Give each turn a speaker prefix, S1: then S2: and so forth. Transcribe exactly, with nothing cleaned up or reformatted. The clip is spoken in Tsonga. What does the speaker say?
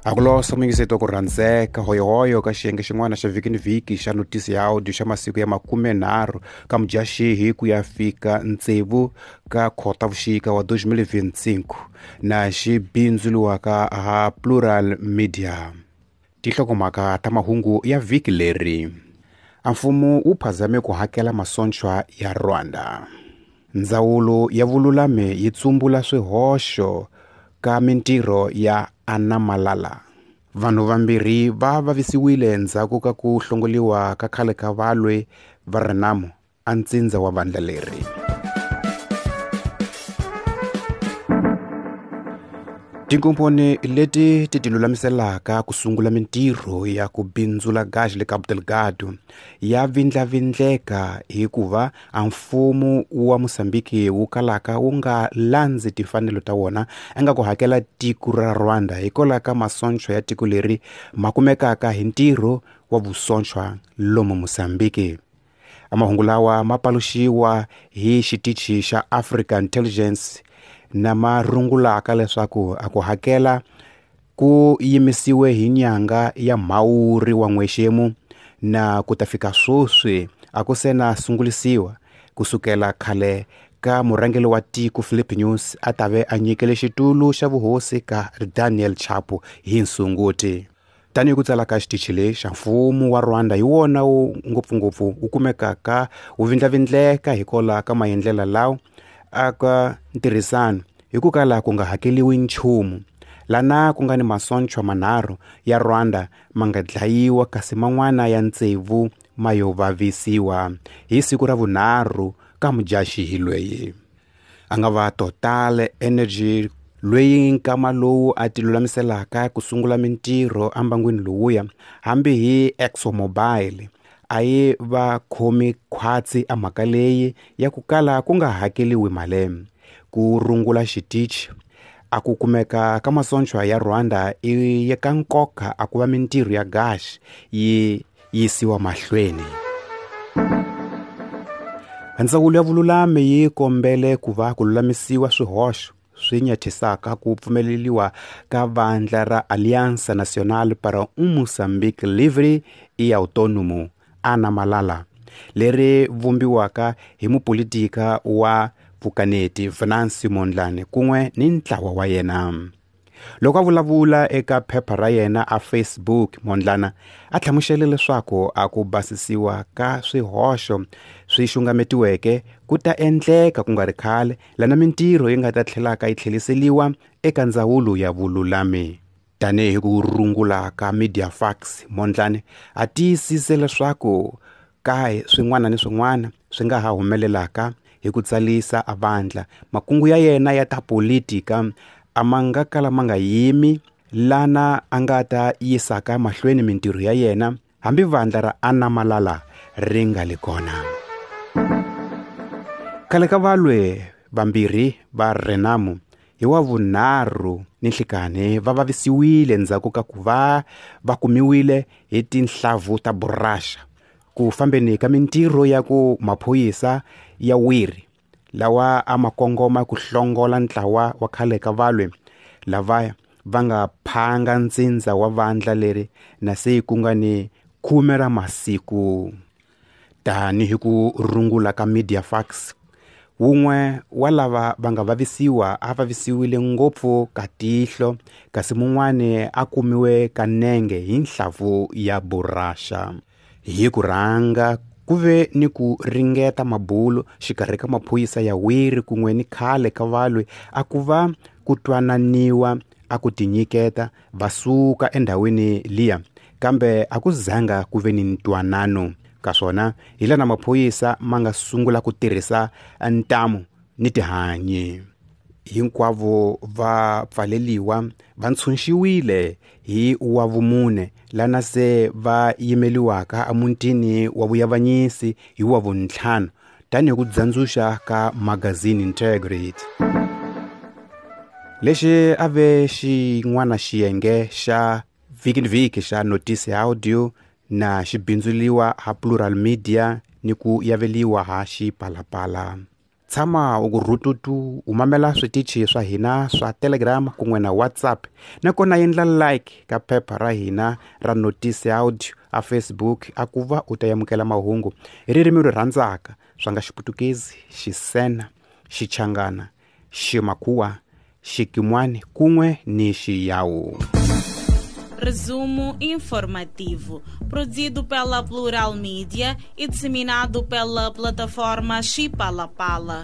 S1: Akulosa muyingiseti wa ku rhandzeka hoyohoyo ka xiyenge xin'wana xa vhiki ni vhiki xa notisi ya audio xa masiku ya makumenharhu ka Mudyaxihi ku ya fika tsevu ka Khotavuxika wa twenty twenty-five na xi bindzuriwaka ha Plural Media. Tinhlokomhaka ta mahungu ya vhiki leri: a mfumo wu phazame ku hakela masocha ya Rwanda. Ndzawulo ya vululami yi tsumbula swihoxo ka mintirho ya Anna Malala. Vanhu vambirhi va vavisiwile endzhaku ka ku hlongoliwa ka khale ka valwi va Renamo a ntsindza wa vandla leri. Tinkomponi leti ti tilulamiselaka ku sungula mintirho ya ku bindzula gasi le Cabo Delgado ya vindlavindleka hikuva a mfumo wa Mozambique wu kalaka wu nga landzi timfanelo ta wona a nga ku hakela tiko ra Rwanda hikwalaho ka masocha ya tiko leri ma kumekaka hi ntirho wa vusocha lomu Mozambique. Mahungu lawa ma paluxiwa hi xitichi xa African Intelligence na ma rungulaka leswaku a ku hakela ku yimisiwe hi nyanga ya Mhawuri wa n'wexemu na ku ta fika sweswi a ku se na sungulisiwa kusukela khale ka murhangeri wa tiko Philip News a ta ve a nyikele xitulu xa vuhosi ka Daniel Chapo hi Nsunguti. Tanihi ku tsala ka xitichi lexi, mfumo wa Rwanda hi wona wu ngopfungopfu wu kumekaka wu vindlavindleka hikwalaho ka maendlelo lawa aka ntirhisano hi ku kala ku nga hakeliwi nchumu lana ku nga ni masocha manharhu ya Rwanda ma nga dlayiwa kasi man'wana ya tsevu ma yo vavisiwa hi siku ra vunharhu ka Mudyaxihi loyi a nga va Total Energy loyi nkama lowu a tilulamiselaka ku sungula mintirho embangwini lowuya hambi hi ExxonMobil a yi va khomi khwatsi a mhaka leyi ya ku kala ku nga hakeliwi mali. Ku rungula xitichi a ku kumeka ka masocha ya Rwanda i ya ka nkoka a ku va mintirho ya gasi yi yisiwa mahlweni. Ndzawulo ya vululami yi kombele ku va ku lulamisiwa swihoxo swi nyathisaka ku pfumeleriwa ka vandla ra Aliança Nacional para um Moçambique Livre e Autônomo Anna Malala leri vumbiwaka hi mupolitika wa vukaneti Venancio Mondlane kun'we ni ntlawa wa yena. Loko a vulavula eka phepha ra yena a Facebook, Mondlane a hlamusele leswaku a ku basisiwa ka swihoxo swi xungametiweke ku ta endleka ku nga ri khale lana mintirho yi nga ta tlhelaka yi tlheriseriwa eka ndzawulo ya vululami. Tanihi ku rungula ka Mediafax, Mondlane a tiyisise leswaku ka swin'wana ni swin'wana swi nga ha humelelaka hi ku tsalisa a vandla makungu ya yena ya ta politika a ma nga kala ma nga yimi lana a nga ta yisaka mahlweni mintirho ya yena hambi vandla ra Anna Malala ri nga li kona. Khale ka valwe vambirhi va Renamo hi wa vunharhu ni nhlikani va vavisiwile endzhaku ka ku va va kumiwile hi tinhlavu ta buraxa ku fambeni ka mintirho ya ku maphorisa ya wiri lawa a ma kongoma ku hlongola ntlawa wa khale ka valwe lava va nga phanga ntsindza wa vandla leri na se ku nga ni khume ra masiku. Tanihi ku rungula ka Mediafax, wun'we wa lava va nga vavisiwa a vavisiwile ngopfu ka tihlo kasi mun'wani a kumiwe ka nenge hi nhlavu ya buraxa. Hi ku rhanga ku ve ni ku ringeta mabulo xikarhi ka maphorisa ya wiri kun'we ni khale ka valwi a ku va ku twananiwa a ku tinyiketa va suka endhawini liya, kambe a ku zanga ku ve ni ntwanano ka swona hi lana maphorisa ma nga sungula ku tirhisa ntamu ni tihanyi. Hinkwavo va pfaleliwa va ntshunxiwile hi wa vumune lana se va yimeliwaka emutini wa vuyavanyisi hi wa vuntlhanu tanihi ku dzandzuxa ka magazini Integrity. Lexi a ve xin'wana xiyenge xa vhiki ni vhiki xa notisi ya audio na xi bindzuriwa ha Plural Media ni ku yaveliwa ha Xipalapala. Tshama u ku rhututu u mamela switichi swa hina swa Telegram kun'we na WhatsApp, nakona endla like ka phepha ra hina ra notice audio a Facebook a ku va u ta amukela mahungu hi ririmi ri rhandzaka swa nga Xiputukezi, Xisena, Xichangana, Ximakhuwa, Xikimwani kun'we ni Xiyawu.
S2: Resumo informativo, produzido pela Plural Mídia e disseminado pela plataforma Xipalapala.